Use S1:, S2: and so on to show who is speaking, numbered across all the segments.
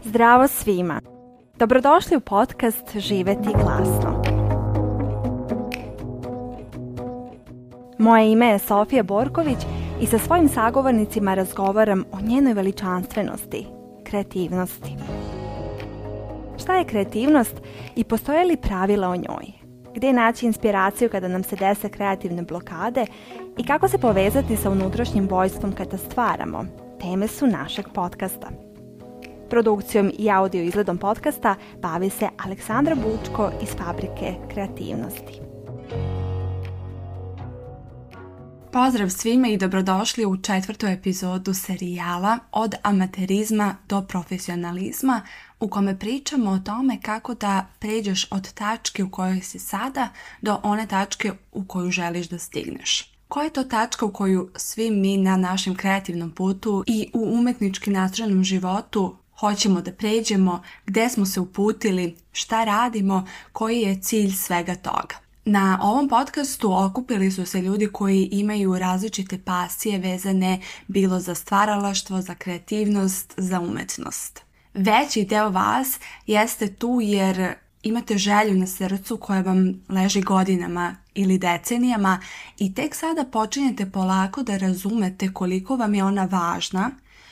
S1: Zdravo svima! Dobrodošli u podcast Živjeti glasno. Moje ime je Sofija Borković i sa svojim sagovornicima razgovaram o njenoj veličanstvenosti, kreativnosti. Šta je kreativnost i postoje li pravila o njoj? Gdje naći inspiraciju kada nam se dese kreativne blokade i kako se povezati sa unutrašnjim vojstvom kada stvaramo? Teme su našeg podcasta. Produkcijom i audio izgledom podcasta bavi se Aleksandra Bučko iz Fabrike kreativnosti.
S2: Pozdrav svima i dobrodošli u 4. epizodu serijala Od amaterizma do profesionalizma, u kome pričamo o tome kako da pređeš od tačke u kojoj si sada do one tačke u koju želiš da stigneš. Koja je to tačka u koju svi mi na našem kreativnom putu i u umetnički nastrojenom životu hoćemo da pređemo, gdje smo se uputili, šta radimo, koji je cilj svega toga? Na ovom podcastu okupili su se ljudi koji imaju različite pasije vezane bilo za stvaralaštvo, za kreativnost, za umetnost. Veći deo vas jeste tu jer imate želju na srcu koja vam leži godinama ili decenijama i tek sada počinjete polako da razumete koliko vam je ona važna,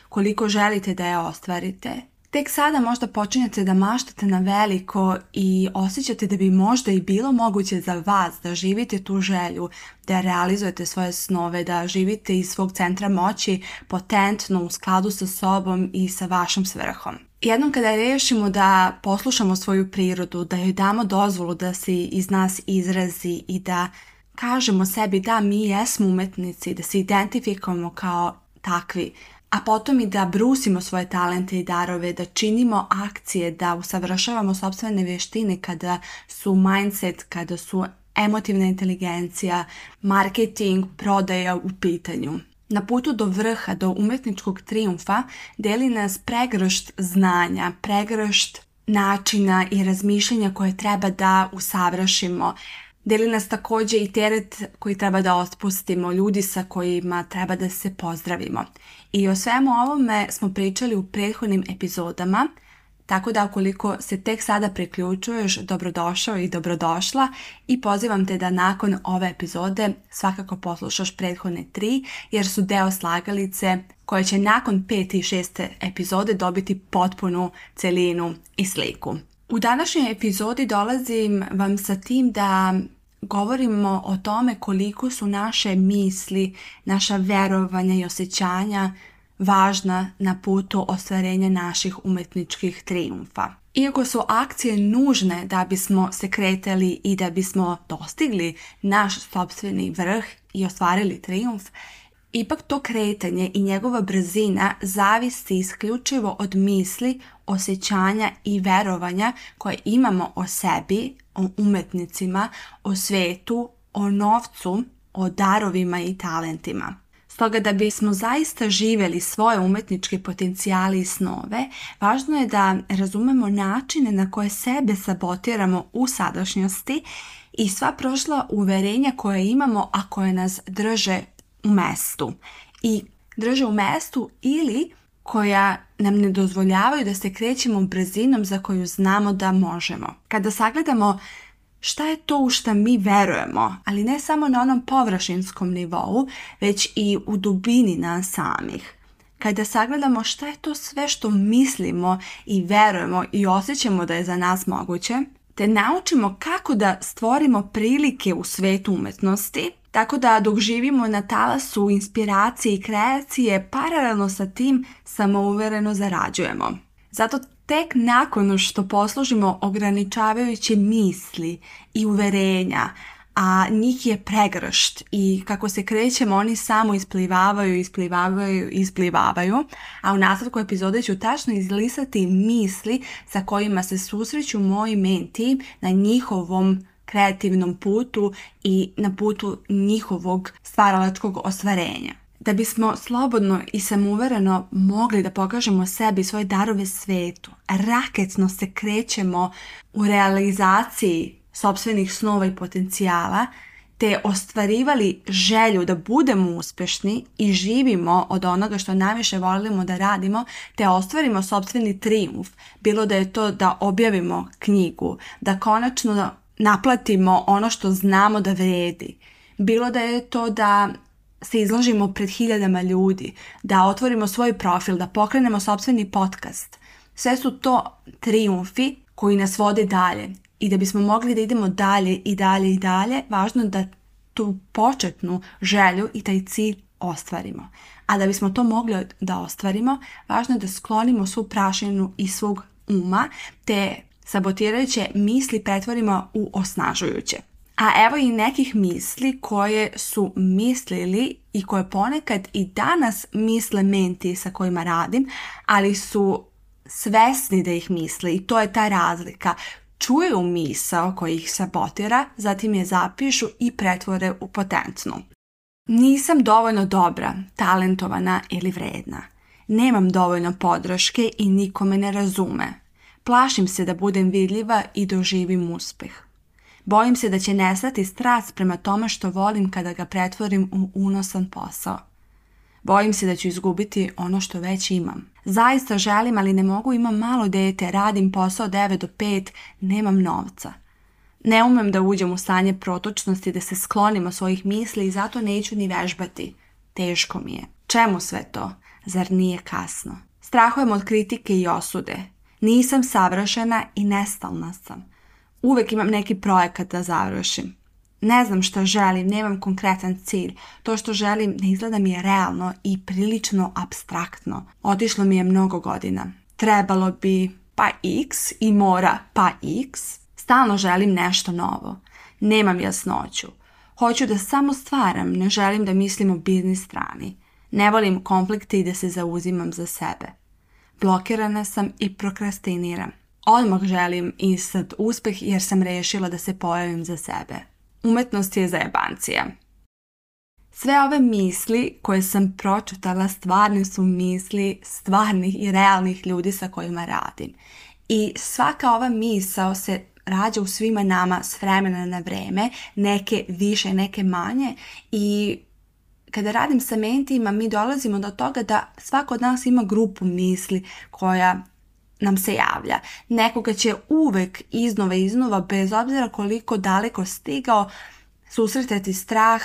S2: koliko želite da je ostvarite. Tek sada možda počinjete da maštate na veliko i osjećate da bi možda i bilo moguće za vas da živite tu želju, da realizujete svoje snove, da živite iz svog centra moći potentno u skladu sa sobom i sa vašom svrhom. Jednom kada rešimo da poslušamo svoju prirodu, da joj damo dozvolu da se iz nas izrazi i da kažemo sebi da mi jesmo umetnici, da se identifikujemo kao takvi, a potom i da brusimo svoje talente i darove, da činimo akcije, da usavršavamo sopstvene vještine kada su mindset, kada su emotivna inteligencija, marketing, prodaja u pitanju. Na putu do vrha, do umetničkog trijumfa, deli nas pregršt znanja, pregršt načina i razmišljanja koje treba da usavršimo. Deli nas također i teret koji treba da otpustimo, ljudi sa kojima treba da se pozdravimo. I o svemu ovome smo pričali u prethodnim epizodama, tako da ukoliko se tek sada priključuješ, dobrodošao i dobrodošla i pozivam te da nakon ove epizode svakako poslušaš prethodne 3 jer su deo slagalice koje će nakon 5. i 6. epizode dobiti potpunu celinu i sliku. U današnjoj epizodi dolazim vam sa tim da govorimo o tome koliko su naše misli, naša verovanja i osjećanja važna na putu ostvarenja naših umetničkih trijumfa. Iako su akcije nužne da bismo se kretali i da bismo dostigli naš sopstveni vrh i ostvarili trijumf, ipak to kretanje i njegova brzina zavisi isključivo od misli, osjećanja i verovanja koje imamo o sebi, o umetnicima, o svetu, o novcu, o darovima i talentima. Stoga da bismo zaista živjeli svoje umetničke potencijale i snove, važno je da razumemo načine na koje sebe sabotiramo u sadašnjosti i sva prošla uverenja koje imamo, a koje nas drže u mestu. I drže u mestu ili koja nam ne dozvoljavaju da se krećemo brzinom za koju znamo da možemo. Kada sagledamo šta je to u šta mi verujemo, ali ne samo na onom površinskom nivou, već i u dubini nas samih. Kada sagledamo šta je to sve što mislimo i verujemo i osjećamo da je za nas moguće, te naučimo kako da stvorimo prilike u svetu umetnosti, tako da dok živimo na talasu inspiracije i kreacije, paralelno sa tim samouvereno zarađujemo. Zato tek nakon što poslužimo ograničavajuće misli i uverenja, a njih je pregršt i kako se krećemo oni samo isplivavaju, a u nastavku epizode ću tačno izlisati misli sa kojima se susreću moji menti na njihovom kreativnom putu i na putu njihovog stvaralačkog ostvarenja. Da bismo slobodno i samouvereno mogli da pokažemo sebi svoje darove svetu, raketno se krećemo u realizaciji sopstvenih snova i potencijala te ostvarivali želju da budemo uspješni i živimo od onoga što najviše volimo da radimo, te ostvarimo sopstveni trijumf, bilo da je to da objavimo knjigu, da konačno naplatimo ono što znamo da vredi, bilo da je to da se izložimo pred hiljadama ljudi, da otvorimo svoj profil, da pokrenemo sopstveni podcast. Sve su to trijumfi koji nas vode dalje. I da bismo mogli da idemo dalje i dalje i dalje, važno je da tu početnu želju i taj cilj ostvarimo. A da bismo to mogli da ostvarimo, važno je da sklonimo svu prašinu iz svog uma, te sabotirajuće misli pretvorimo u osnažujuće. A evo i nekih misli koje su mislili i koje ponekad i danas misle menti sa kojima radim, ali su svesni da ih misle i to je ta razlika. Čuju misao koja ih sabotira, zatim je zapišu i pretvore u potentnu. Nisam dovoljno dobra, talentovana ili vredna. Nemam dovoljno podrške i niko me ne razume. Plašim se da budem vidljiva i doživim uspeh. Bojim se da će nestati strast prema tome što volim kada ga pretvorim u unosan posao. Bojim se da ću izgubiti ono što već imam. Zaista želim, ali ne mogu, imam malo dete, radim posao 9 do 5, nemam novca. Ne umem da uđem u stanje protočnosti, da se sklonim od svojih misli i zato neću ni vežbati. Teško mi je. Čemu sve to? Zar nije kasno? Strahujem od kritike i osude. Nisam savršena i nestalna sam. Uvek imam neki projekat da završim. Ne znam što želim, nemam konkretan cilj. To što želim ne izgleda mi je realno i prilično apstraktno. Otišlo mi je mnogo godina. Trebalo bi pa x i mora pa x. Stalno želim nešto novo. Nemam jasnoću. Hoću da samo stvaram, ne želim da mislim o biznis strani. Ne volim konflikte i da se zauzimam za sebe. Blokirana sam i prokrastiniram. Odmah želim instant uspeh jer sam rešila da se pojavim za sebe. Umetnost je zajebancija. Sve ove misli koje sam pročitala stvarne su misli stvarnih i realnih ljudi sa kojima radim. I svaka ova misao se rađa u svima nama s vremena na vreme, neke više, neke manje, i kada radim sa mentima mi dolazimo do toga da svako od nas ima grupu misli koja nam se javlja. Nekoga će uvek iznova, bez obzira koliko daleko stigao, susretati strah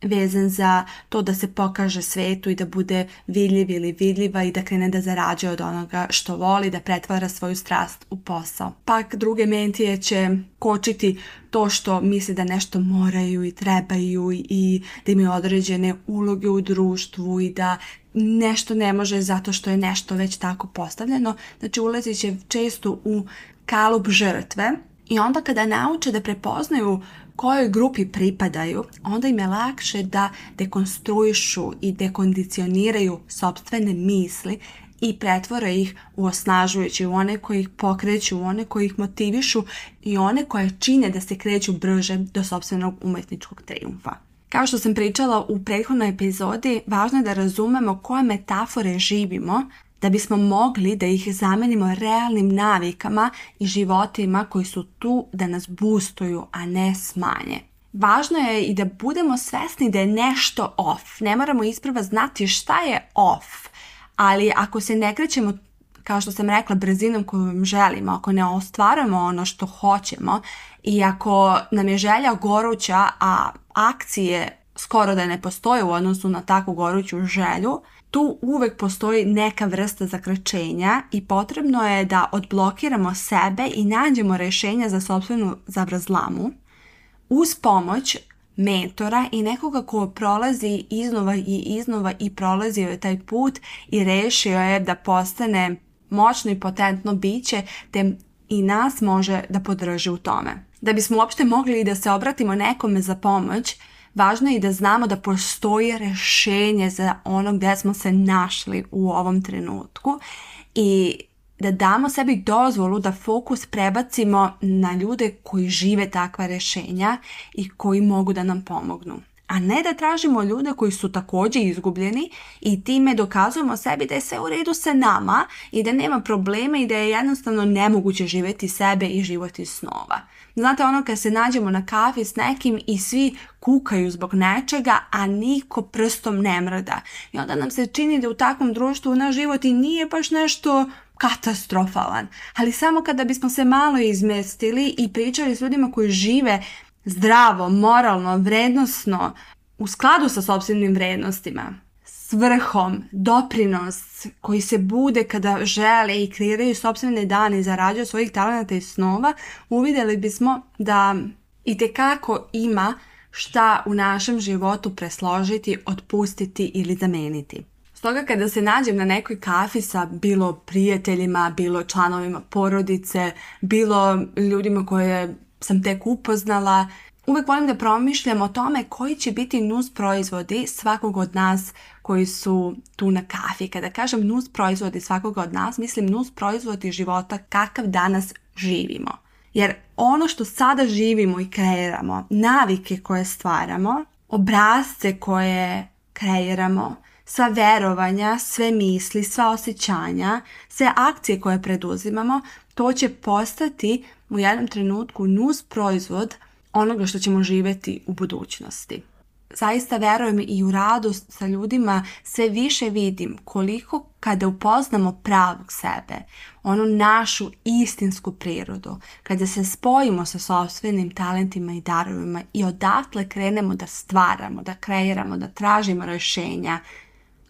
S2: vezan za to da se pokaže svetu i da bude vidljiv ili vidljiva i da krene da zarađuje od onoga što voli, da pretvara svoju strast u posao. Pak druge mentije će kočiti to što misle da nešto moraju i trebaju i da imaju određene uloge u društvu i da nešto ne može zato što je nešto već tako postavljeno. Znači ulazit će često u kalup žrtve i onda kada nauče da prepoznaju kojoj grupi pripadaju, onda im je lakše da dekonstruišu i dekondicioniraju sopstvene misli i pretvore ih u osnažujući, u one koji ih pokreću, u one koji ih motivišu i one koje čine da se kreću brže do sopstvenog umetničkog trijumfa. Kao što sam pričala u prethodnoj epizodi, važno je da razumemo koje metafore živimo da bismo mogli da ih zamenimo realnim navikama i životima koji su tu da nas boostuju, a ne smanje. Važno je i da budemo svesni da je nešto off. Ne moramo isprva znati šta je off, ali ako se ne krećemo, kao što sam rekla, brzinom koju želimo, ako ne ostvarujemo ono što hoćemo i ako nam je želja goruća, a akcije skoro da ne postoje u odnosu na takvu goruću želju, tu uvek postoji neka vrsta zakrčenja i potrebno je da odblokiramo sebe i nađemo rješenja za sopstvenu zavrzlamu uz pomoć mentora i nekoga ko prolazi iznova i prolazio je taj put i rešio je da postane moćno i potentno biće te i nas može da podrži u tome. Da bismo uopšte mogli da se obratimo nekome za pomoć, važno je i da znamo da postoji rješenje za ono gdje smo se našli u ovom trenutku i da damo sebi dozvolu da fokus prebacimo na ljude koji žive takva rješenja i koji mogu da nam pomognu. a ne da tražimo ljude koji su također izgubljeni i time dokazujemo sebi da je sve u redu sa nama i da nema problema i da je jednostavno nemoguće živjeti sebe i život iz snova. Znate, ono kad se nađemo na kafi s nekim i svi kukaju zbog nečega, a niko prstom ne mrda. I onda nam se čini da u takvom društvu naš život i nije baš nešto katastrofalan. Ali samo kada bismo se malo izmestili i pričali s ljudima koji žive zdravo, moralno, vrednosno, u skladu sa sopstvenim vrednostima, s vrhom, doprinos koji se bude kada žele i kreiraju sopstvene dane i zarađuju svojih talenata i snova, uvidjeli bismo da itekako ima šta u našem životu presložiti, otpustiti ili zameniti. Stoga kada se nađem na nekoj kafi sa bilo prijateljima, bilo članovima porodice, bilo ljudima koje sam tek upoznala, uvijek volim da promišljam o tome koji će biti nus proizvodi svakog od nas koji su tu na kafi. Kada kažem nus proizvodi svakog od nas, mislim nus proizvodi života kakav danas živimo. Jer ono što sada živimo i kreiramo, navike koje stvaramo, obrasce koje kreiramo, sva verovanja, sve misli, sva osjećanja, sve akcije koje preduzimamo, to će postati u jednom trenutku nus proizvod onoga što ćemo živjeti u budućnosti. Zaista verujem i u radu sa ljudima sve više vidim koliko kada upoznamo pravog sebe, onu našu istinsku prirodu, kada se spojimo sa sopstvenim talentima i darovima i odatle krenemo da stvaramo, da kreiramo, da tražimo rješenja,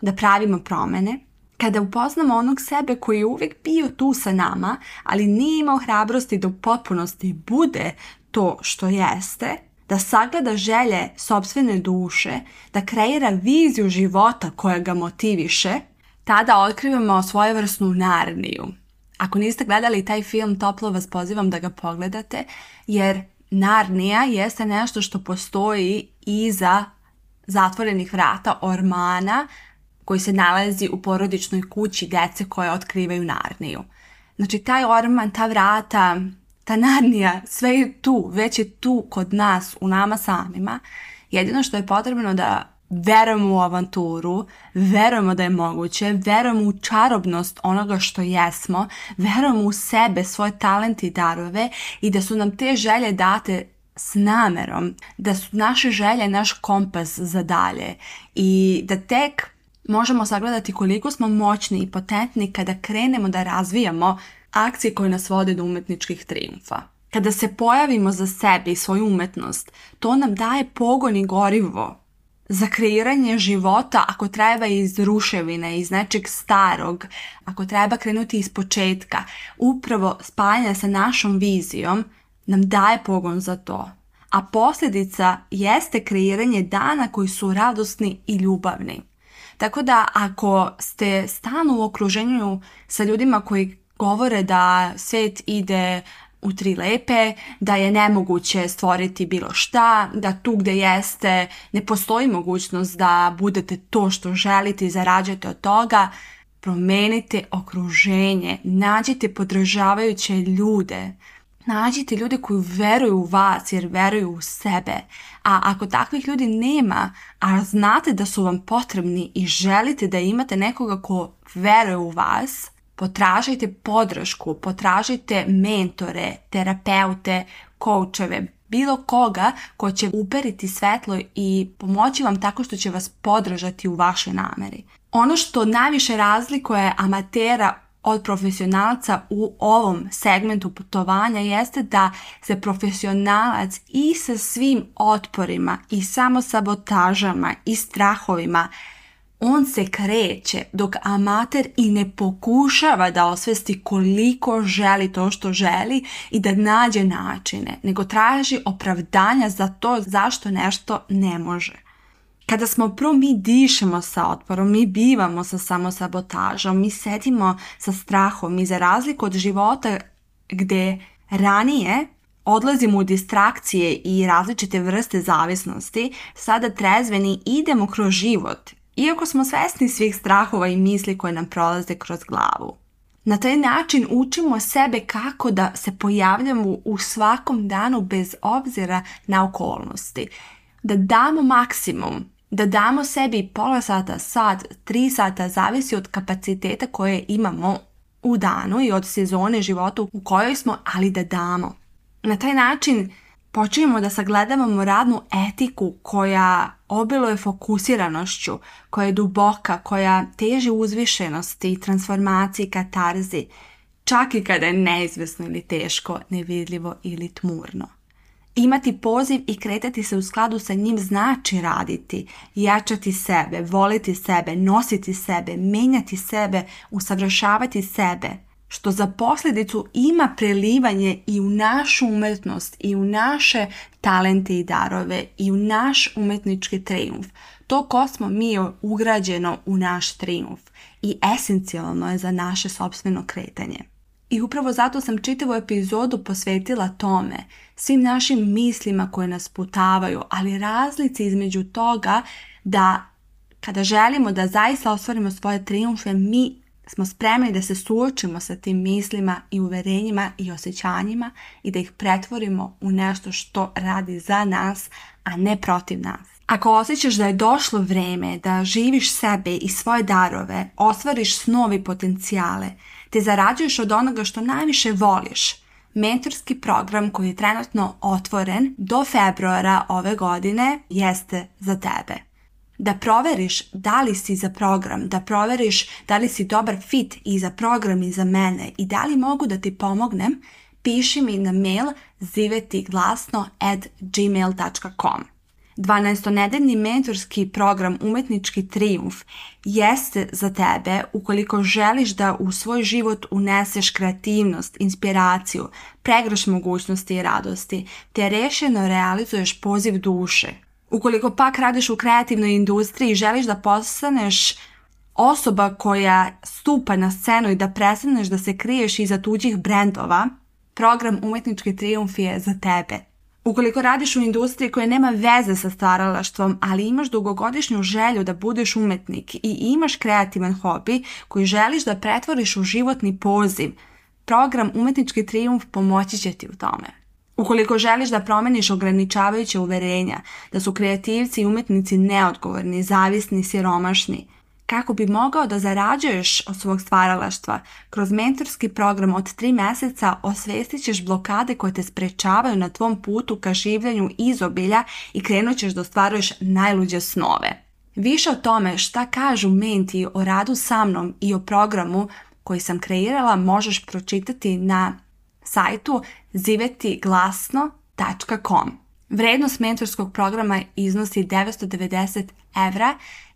S2: da pravimo promjene, kada upoznamo onog sebe koji je uvijek bio tu sa nama, ali nije imao hrabrosti da u potpunosti bude to što jeste, da sagleda želje sopstvene duše, da kreira viziju života koja ga motiviše, tada otkrivamo svojevrsnu Narniju. Ako niste gledali taj film, toplo vas pozivam da ga pogledate, jer Narnija jeste nešto što postoji iza zatvorenih vrata ormana koji se nalazi u porodičnoj kući djece koje otkrivaju Narniju. Znači, taj orman, ta vrata, ta Narnija, sve je tu, već je tu kod nas, u nama samima. Jedino što je potrebno da verujemo u avanturu, verujemo da je moguće, verujemo u čarobnost onoga što jesmo, verujemo u sebe, svoje talente i darove i da su nam te želje date s namerom, da su naše želje naš kompas za dalje i da tek možemo sagledati koliko smo moćni i potentni kada krenemo da razvijamo akcije koje nas vode do umjetničkih trijumfa. Kada se pojavimo za sebe i svoju umjetnost, to nam daje pogon i gorivo za kreiranje života, ako treba iz ruševine, iz nečeg starog, ako treba krenuti iz početka. Upravo spajanje sa našom vizijom nam daje pogon za to. A posljedica jeste kreiranje dana koji su radosni i ljubavni. Tako da ako ste stalno u okruženju sa ljudima koji govore da svijet ide u tri lepe, da je nemoguće stvoriti bilo šta, da tu gdje jeste ne postoji mogućnost da budete to što želite i zarađujete od toga, promenite okruženje, nađite podržavajuće ljude, nađite ljude koji veruju u vas jer veruju u sebe. A ako takvih ljudi nema, a znate da su vam potrebni i želite da imate nekoga ko veruje u vas, potražite podršku, potražite mentore, terapeute, koučeve, bilo koga ko će uperiti svetlo i pomoći vam tako što će vas podržati u vašoj nameri. Ono što najviše razlikuje amatera od profesionalca u ovom segmentu putovanja jeste da se profesionalac i sa svim otporima i samosabotažama i strahovima on se kreće, dok amater i ne pokušava da osvesti koliko želi to što želi i da nađe načine, nego traži opravdanja za to zašto nešto ne može. Kada smo mi dišemo sa otporom, mi bivamo sa samosabotažom, mi sedimo sa strahom i za razliku od života gdje ranije odlazimo u distrakcije i različite vrste zavisnosti, sada trezveni idemo kroz život, iako smo svesni svih strahova i misli koje nam prolaze kroz glavu. Na taj način učimo sebe kako da se pojavljamo u svakom danu bez obzira na okolnosti. da damo maksimum, da damo sebi pola sata, sat, 3 sata, zavisi od kapaciteta koje imamo u danu i od sezone života u kojoj smo, ali da damo. Na taj način počinjemo da sagledavamo radnu etiku koja obiluje fokusiranošću, koja je duboka, koja teži uzvišenosti, transformaciji, katarzi, čak i kada je neizvesno ili teško, nevidljivo ili tmurno. Imati poziv i kretati se u skladu sa njim znači raditi, jačati sebe, voliti sebe, nositi sebe, menjati sebe, usavršavati sebe, što za posljedicu ima prelivanje i u našu umetnost, i u naše talente i darove, i u naš umetnički trijumf. To ko smo mi je ugrađeno u naš trijumf i esencijalno je za naše sopstveno kretanje. I upravo zato sam čitavu epizodu posvetila tome, svim našim mislima koje nas putavaju, ali razlici između toga da kada želimo da zaista ostvarimo svoje trijumfe, mi smo spremni da se suočimo sa tim mislima i uverenjima i osjećanjima i da ih pretvorimo u nešto što radi za nas, a ne protiv nas. Ako osjećaš da je došlo vrijeme da živiš sebe i svoje darove, ostvariš snove i potencijale, te zarađuješ od onoga što najviše voliš, mentorski program koji je trenutno otvoren do februara ove godine jeste za tebe. Da proveriš da li si za program, da proveriš da li si dobar fit i za program i za mene i da li mogu da ti pomognem, piši mi na mail zivetiglasno@gmail.com. 12-nedeljni mentorski program Umetnički trijumf jeste za tebe ukoliko želiš da u svoj život uneseš kreativnost, inspiraciju, pregrš mogućnosti i radosti, te rešeno realizuješ poziv duše. Ukoliko pak radiš u kreativnoj industriji i želiš da postaneš osoba koja stupa na scenu i da prestaneš da se kriješ iza tuđih brendova, program Umetnički trijumf je za tebe. Ukoliko radiš u industriji koja nema veze sa stvaralaštvom, ali imaš dugogodišnju želju da budeš umetnik i imaš kreativan hobi koji želiš da pretvoriš u životni poziv, program Umetnički trijumf pomoći će ti u tome. Ukoliko želiš da promeniš ograničavajuće uverenja, da su kreativci i umetnici neodgovorni, zavisni, siromašni, kako bi mogao da zarađuješ od svog stvaralaštva, kroz mentorski program od 3 mjeseca osvestit ćeš blokade koje te sprečavaju na tvom putu ka življenju izobilja i krenut ćeš da ostvaruješ najluđe snove. Više o tome šta kažu menti o radu sa mnom i o programu koji sam kreirala možeš pročitati na sajtu zivetiglasno.com. Vrednost mentorskog programa iznosi 990 €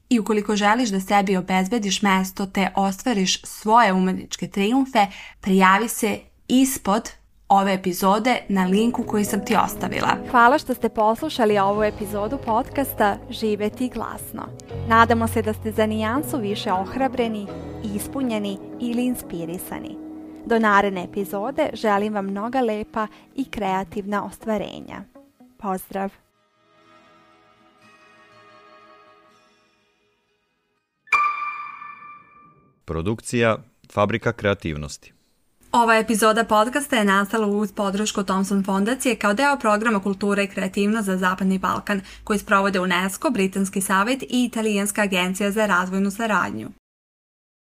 S2: i ukoliko želiš da sebi obezbediš mesto te ostvariš svoje umetničke trijumfe, prijavi se ispod ove epizode na linku koji sam ti ostavila.
S1: Hvala što ste poslušali ovu epizodu podcasta Živeti glasno. Nadamo se da ste za nijansu više ohrabreni, ispunjeni ili inspirisani. Do naredne epizode želim vam mnoga lepa i kreativna ostvarenja. Pozdrav!
S3: Produkcija Fabrika kreativnosti.
S2: Ova epizoda podcasta je nastala uz podršku Thomson fondacije kao deo programa Kultura i kreativnost za Zapadni Balkan koji sprovode UNESCO, Britanski savjet i Italijanska agencija za razvojnu saradnju.